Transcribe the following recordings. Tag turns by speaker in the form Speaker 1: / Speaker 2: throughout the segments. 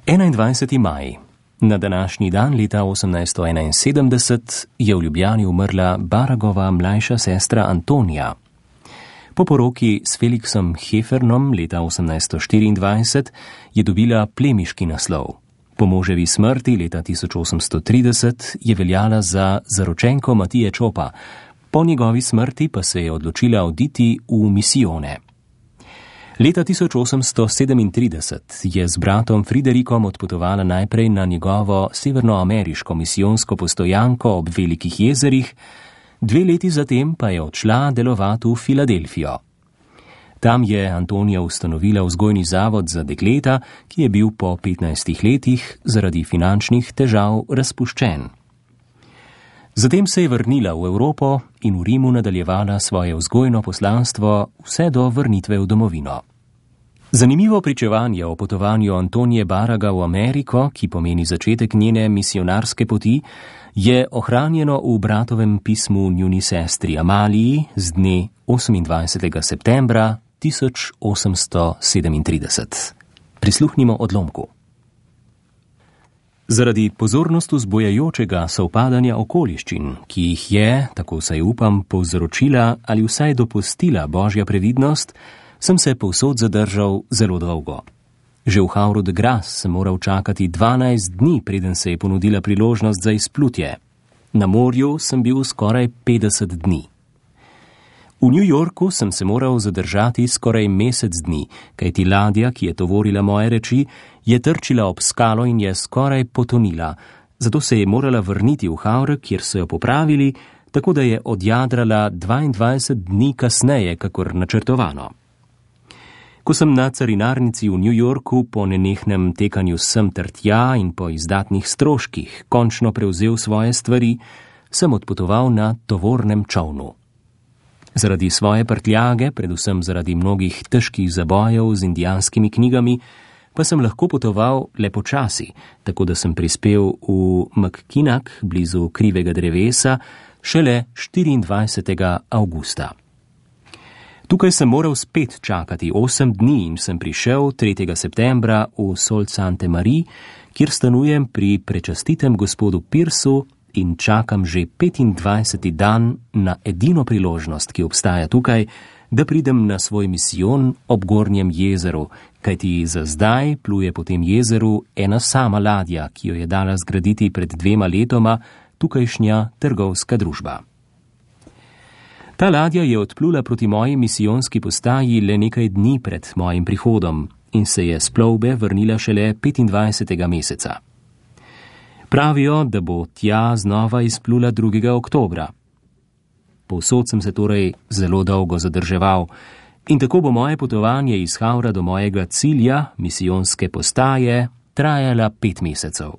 Speaker 1: 21. maj. Na današnji dan leta 1871 je v Ljubljani umrla Baragova mlajša sestra Antonija. Po poroki s Felixom Hefernom leta 1824 je dobila plemiški naslov. Po moževi smrti leta 1830 je veljala za zaročenko Matije Čopa, po njegovi smrti pa se je odločila oditi v misijone. Leta 1837 je z bratom Friderikom odpotovala najprej na njegovo severnoameriško misijonsko postojanko ob Velikih jezerih, 2 leti zatem pa je odšla delovati v Filadelfijo. Tam je Antonija ustanovila vzgojni zavod za dekleta, ki je bil po 15 letih zaradi finančnih težav razpuščen. Zatem se je vrnila v Evropo in v Rimu nadaljevala svoje vzgojno poslanstvo vse do vrnitve v domovino. Zanimivo pričevanje o potovanju Antonije Baraga v Ameriko, ki pomeni začetek njene misionarske poti, je ohranjeno v bratovem pismu njuni sestri Amaliji z dne 28. septembra 1837. Prisluhnimo odlomku. Zaradi pozornosti vzbujajočega sovpadanja okoliščin, ki jih je, tako saj upam, povzročila ali vsaj dopustila Božja previdnost, sem se povsod zadržal zelo dolgo. Že v Havru de Grace sem moral čakati 12 dni, preden se je ponudila priložnost za izplutje. Na morju sem bil skoraj 50 dni. V New Yorku sem se moral zadržati skoraj mesec dni, kajti ladja, ki je tovorila moje reči, je trčila ob skalo in je skoraj potonila, zato se je morala vrniti v Havre, kjer so jo popravili, tako da je odjadrala 22 dni kasneje, kakor načrtovano. Ko sem na carinarnici v New Yorku po nenehnem tekanju sem ter tja in po izdatnih stroških končno prevzel svoje stvari, sem odpotoval na tovornem čolnu. Zaradi svoje prtljage, predvsem zaradi mnogih težkih zabojev z indijanskimi knjigami, pa sem lahko potoval le počasi, tako da sem prispel v Mackinac, blizu Krivega drevesa, šele 24. avgusta. Tukaj sem moral spet čakati 8 dni in sem prišel 3. septembra v Sault Ste. Marie, kjer stanujem pri prečastitem gospodu Pearsu in čakam že 25. dan na edino priložnost, ki obstaja tukaj, da pridem na svoj misijon ob Gornjem jezeru, kajti za zdaj pluje po tem jezeru ena sama ladja, ki jo je dala zgraditi pred 2 letoma tukajšnja trgovska družba. Ta ladja je odplula proti moji misijonski postaji le nekaj dni pred mojim prihodom in se je s plovbe vrnila šele 25. meseca. Pravijo, da bo tja znova izplula 2. oktobra. Povsod sem se torej zelo dolgo zadrževal in tako bo moje potovanje iz Havra do mojega cilja, misijonske postaje, trajala 5 mesecev.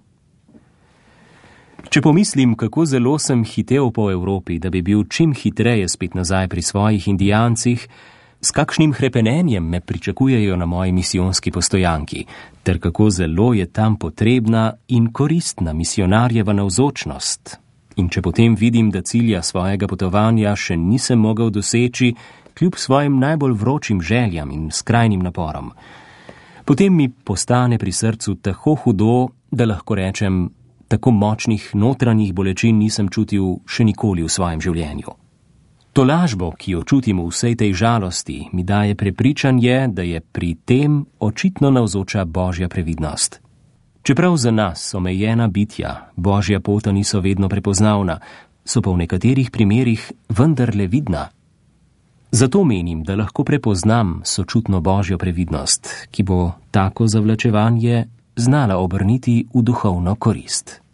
Speaker 1: Če pomislim, kako zelo sem hitel po Evropi, da bi bil čim hitreje spet nazaj pri svojih Indijancih, s kakšnim hrepenenjem me pričakujejo na moji misijonski postojanki, ter kako zelo je tam potrebna in koristna misionarjeva navzočnost. In če potem vidim, da cilja svojega potovanja še nisem mogel doseči, kljub svojim najbolj vročim željam in skrajnim naporom, potem mi postane pri srcu tako hudo, da lahko rečem, tako močnih notranjih bolečin nisem čutil še nikoli v svojem življenju. To lažbo, ki jo čutim v vsej tej žalosti, mi daje prepričanje, da je pri tem očitno navzoča Božja previdnost. Čeprav za nas omejena bitja Božja pota niso vedno prepoznavna, so pa v nekaterih primerih vendarle vidna. Zato menim, da lahko prepoznam sočutno Božjo previdnost, ki bo tako zavlačevanje znala obrniti v duhovno korist.